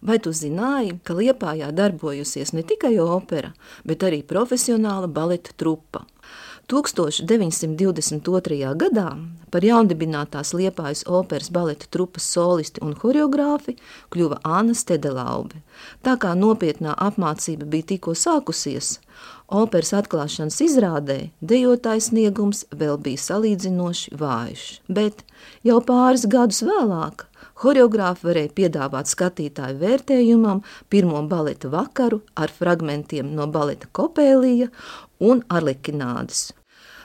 Vai tu zināji, ka Liepājā darbojusies ne tikai opera, bet arī profesionāla baleta trupa? 1922. gadā par jaundibinātās Liepājas operas baleta trupas solisti un horeogrāfi kļuva Anna Stedelaube. Tā kā nopietnā apmācība bija tikko sākusies, operas atklāšanas izrādē dejotājs sniegums vēl bija salīdzinoši vājš. Bet jau pāris gadus vēlāk horeogrāfi varēja piedāvāt skatītāju vērtējumam pirmo baleta vakaru ar fragmentiem no baleta Kopēlija un Arlekinādes.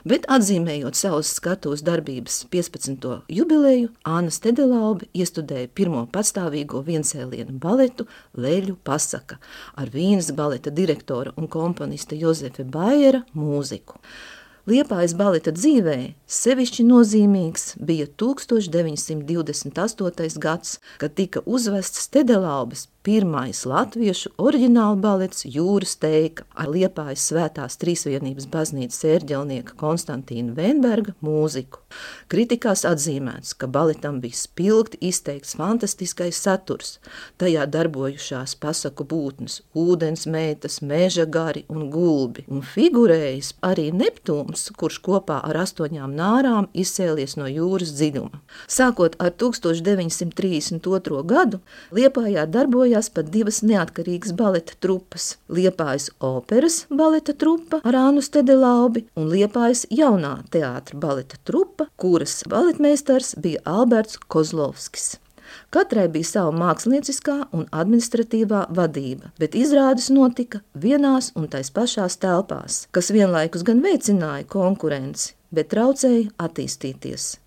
Bet atzīmējot savas skatuves darbības 15. jubileju, Anna Stedelaube iestudēja pirmo patstāvīgo viensēlienu baletu Leļu pasaka ar Vīnes baleta direktora un komponista Jozefa Baiera mūziku. Liepājas baleta dzīvē sevišķi nozīmīgs bija 1928. gads, kad tika uzvests Stedelaubes pirmais latviešu oriģināla balets Jūras teika ar Liepājas Svētās Trīsvienības baznīcas ērģelnieka Konstantīna Vēnberga mūziku. Kritikās atzīmēts, ka baletam bija spilgti izteikts fantastiskais saturs, tajā darbojušās pasaku būtnes, ūdens meitas, meža gari un gulbi, un figurējas arī Neptūns, kurš kopā ar 8 nārām izcēlies no jūras dziļuma. Sākot ar 1932. gadu, Liepājā darbojās pat 2 neatkarīgas baleta trupas – Liepājas operas baleta trupa ar Annu Stedelaubi un Liepājas jaunā teātra baleta trupa, kuras baletmeistars bija Alberts Kozlovskis. Katrai bija sava mākslinieckā un administratīvā vadība, bet izrādes notika vienās un tais pašās telpās, kas vienlaikus gan veicināja konkurenci, bet traucēja attīstīties.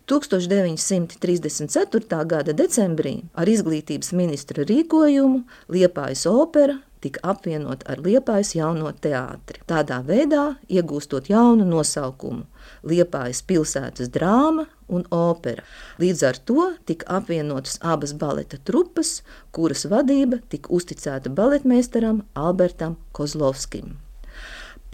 1934. gada decembrī ar izglītības ministra rīkojumu Liepājas opera tika apvienot ar Liepājas jauno teātri. Tādā veidā iegūstot jaunu nosaukumu – Liepājas pilsētas drāma un opera. Līdz ar to tika apvienotas abas baleta trupas, kuras vadība tika uzticēta baletmeistaram Albertam Kozlovskim.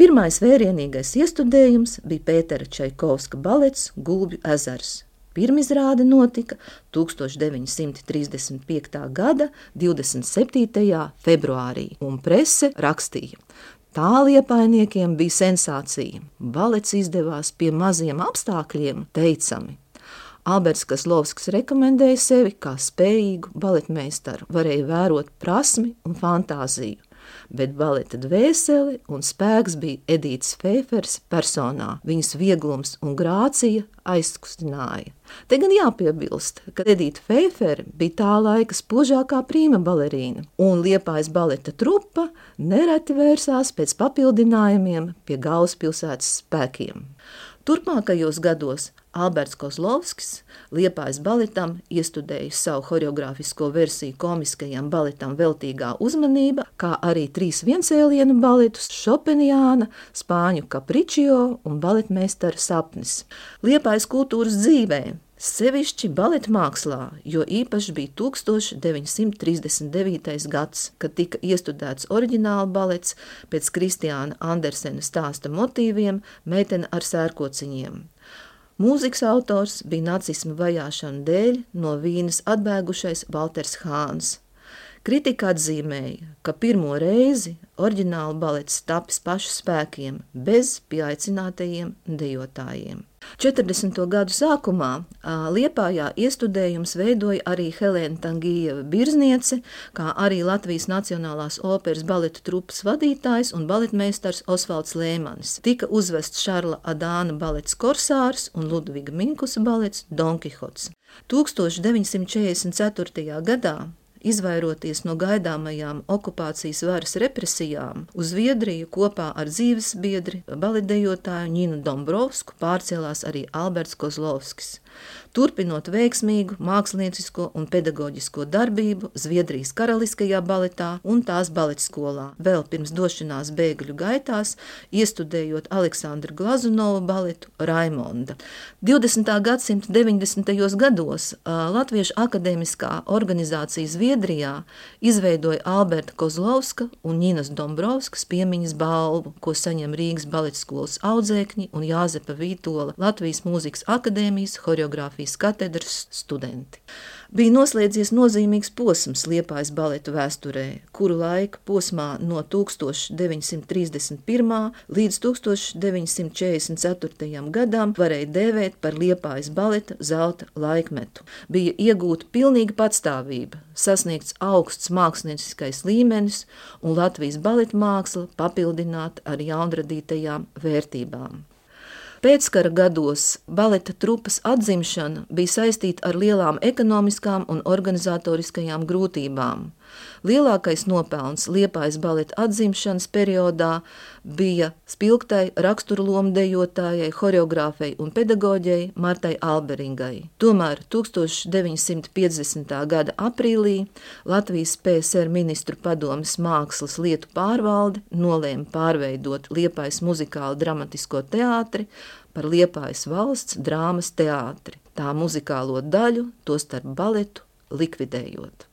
Pirmais vērienīgais iestudējums bija Pētera Čaikovska balets Gulbju ezers. Pirmizrāde notika 1935. gada 27. februārī, un prese rakstīja: tā liepājniekiem bija sensācija. Balets izdevās pie maziem apstākļiem teicami. Alberts Kozlovskis rekomendēja sevi kā spējīgu baletmeistaru, varēja vērot prasmi un fantāziju. Bet baleta dvēseli un spēks bija Edītas Feifers personā. Viņas vieglums un grācija aizkustināja. Te gan jāpiebilst, ka Edīta Feifere bija tā laika spožākā prīma balerīna, un Liepājas baleta trupa nereti vērsās pēc papildinājumiem pie galvaspilsētas spēkiem. Turpmākajos gados Alberts Kozlovskis Liepājas baletam iestudēja savu horeogrāfisko versiju komiskajam baletam Veltīgā uzmanība, kā arī 3 viensēlienu baletus Šopeniāna, Spāņu Kapričio un baletmeistara sapnis. Liepājas kultūras dzīvē, sevišķi baleta mākslā, jo īpaši bija 1939. gads, kad tika iestudēts oriģināla balets pēc Kristiāna Andersena stāsta motīviem Meitene ar sērkociņiem. Mūzikas autors bija nacisma vajāšanu dēļ no Vīnes atbēgušais Valters Hāns. Kritika atzīmēja, ka pirmo reizi oriģināla balets tapis pašu spēkiem, bez pieaicinātajiem dejotājiem. 40. gadu sākumā Liepājā iestudējums veidoja arī Helēna Tangijeva Birzniece, kā arī Latvijas Nacionālās operas baleta trupas vadītājs un baletmeistars Osvalds Lēmanis. Tika uzvests Šarla Adāna balets Korsārs un Ludviga Minkusa balets Don Kihots. 1944. gadā, izvairoties no gaidāmajām okupācijas varas represijām, uz Zviedriju kopā ar dzīvesbiedri baletdejotāju Ņinu Dombrovsku pārcēlās arī Alberts Kozlovskis. Turpinot veiksmīgu māksliniecisko un pedagoģisko darbību Zviedrijas Karaliskajā baletā un tās baletskolā, vēl pirms došanās bēgļu gaitās, iestudējot Aleksandra Glazunova baletu Raimonda. 20. gadsimta 90. gados Latviešu akadēmiskā organizācija Zviedrijā izveidoja Alberta Kozlovska un Ņinas Dombrovskas piemiņas balvu, ko saņem Rīgas baletskolas audzēkņi un Jāzepa Vītola Latvijas mūzikas akadēmijas horeogrāfijas katedras studenti. Bija noslēdzies nozīmīgs posms Liepājas baletu vēsturē, kuru laika posmā no 1931. līdz 1944. gadam varēja dēvēt par Liepājas baleta zelta laikmetu. Bija iegūta pilnīga patstāvība, sasniegts augsts mākslinieckais līmenis un Latvijas baleta māksla papildināta ar jaunradītajām vērtībām. Pēckara gados baleta trupas atzimšana bija saistīta ar lielām ekonomiskām un organizatoriskajām grūtībām. Lielākais nopelns Liepājas baleta atzimšanas periodā bija spilgtai raksturlomu dejotājai, horeogrāfei un pedagoģei Martai Alberingai. Tomēr 1950. gada aprīlī Latvijas PSR ministru padomes mākslas lietu pārvalde nolēma pārveidot Liepājas muzikālu dramatisko teātri par Liepājas valsts drāmas teātri, tā muzikālo daļu, tostarp baletu, likvidējot.